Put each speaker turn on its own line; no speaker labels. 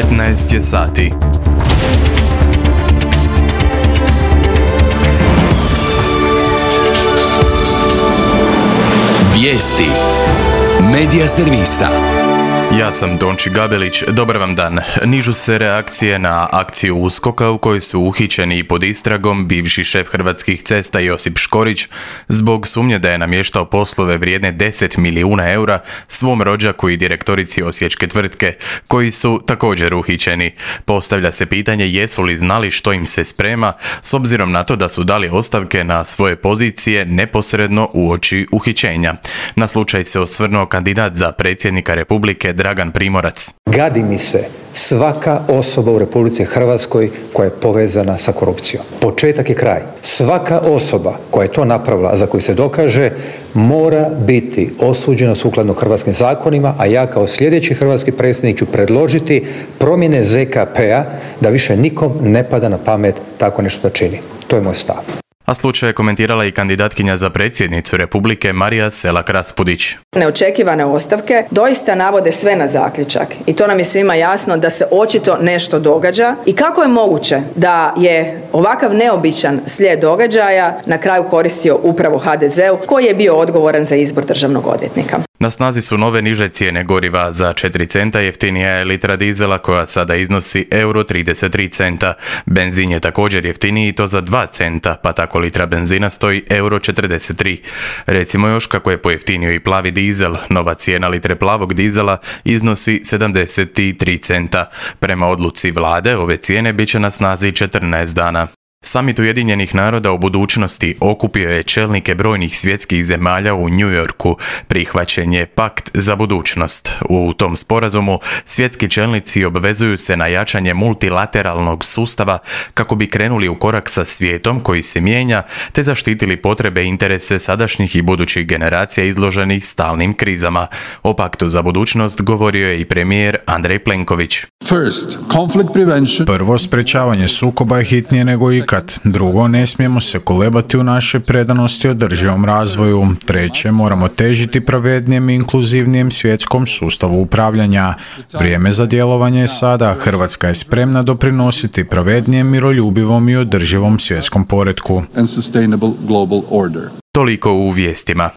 15 je sati.
Vijesti Medija servisa.
Ja sam Donči Gabelić, dobar vam dan. Nižu se reakcije na akciju USKOK-a u kojoj su uhićeni i pod istragom bivši šef Hrvatskih cesta Josip Škorić zbog sumnje da je namještao poslove vrijedne 10 milijuna eura svom rođaku i direktorici osječke tvrtke, koji su također uhićeni. Postavlja se pitanje jesu li znali što im se sprema, s obzirom na to da su dali ostavke na svoje pozicije neposredno uoči uhićenja. Na slučaj se osvrnuo kandidat za predsjednika Republike Dragan Primorac.
Gadi mi se svaka osoba u Republici Hrvatskoj koja je povezana sa korupcijom. Početak je kraj. Svaka osoba koja je to napravila, a za koju se dokaže, mora biti osuđena sukladno hrvatskim zakonima, a ja kao sljedeći hrvatski predsjednik ću predložiti promjene ZKP-a da više nikom ne pada na pamet tako nešto da čini. To je moj stav.
A slučaj je komentirala i kandidatkinja za predsjednicu Republike Marija Selak-Raspudić.
Neočekivane ostavke doista navode sve na zaključak i to nam je svima jasno da se očito nešto događa i kako je moguće da je ovakav neobičan slijed događaja na kraju koristio upravo HDZ-u koji je bio odgovoran za izbor državnog odvjetnika.
Na snazi su nove niže cijene goriva. Za 4 centa jeftinija je litra dizela koja sada iznosi euro 33 centa. Benzin je također jeftiniji i to za 2 centa, pa tako litra benzina stoji euro 43. Recimo još kako je pojeftinio i plavi dizel. Nova cijena litre plavog dizela iznosi 73 centa. Prema odluci vlade ove cijene bit će na snazi 14 dana. Samit Ujedinjenih naroda o budućnosti okupio je čelnike brojnih svjetskih zemalja u New Yorku. Prihvaćen je pakt za budućnost. U tom sporazumu svjetski čelnici obvezuju se na jačanje multilateralnog sustava kako bi krenuli u korak sa svijetom koji se mijenja te zaštitili potrebe i interese sadašnjih i budućih generacija izloženih stalnim krizama. O paktu za budućnost govorio je i premijer Andrej Plenković.
Prvo, sprečavanje sukoba je hitnije nego ikad. Drugo, ne smijemo se kolebati u našoj predanosti održivom razvoju. Treće, moramo težiti pravednijem i inkluzivnijem svjetskom sustavu upravljanja. Vrijeme za djelovanje je sada. Hrvatska je spremna doprinositi pravednijem, miroljubivom i održivom svjetskom poretku.
Toliko u vijestima.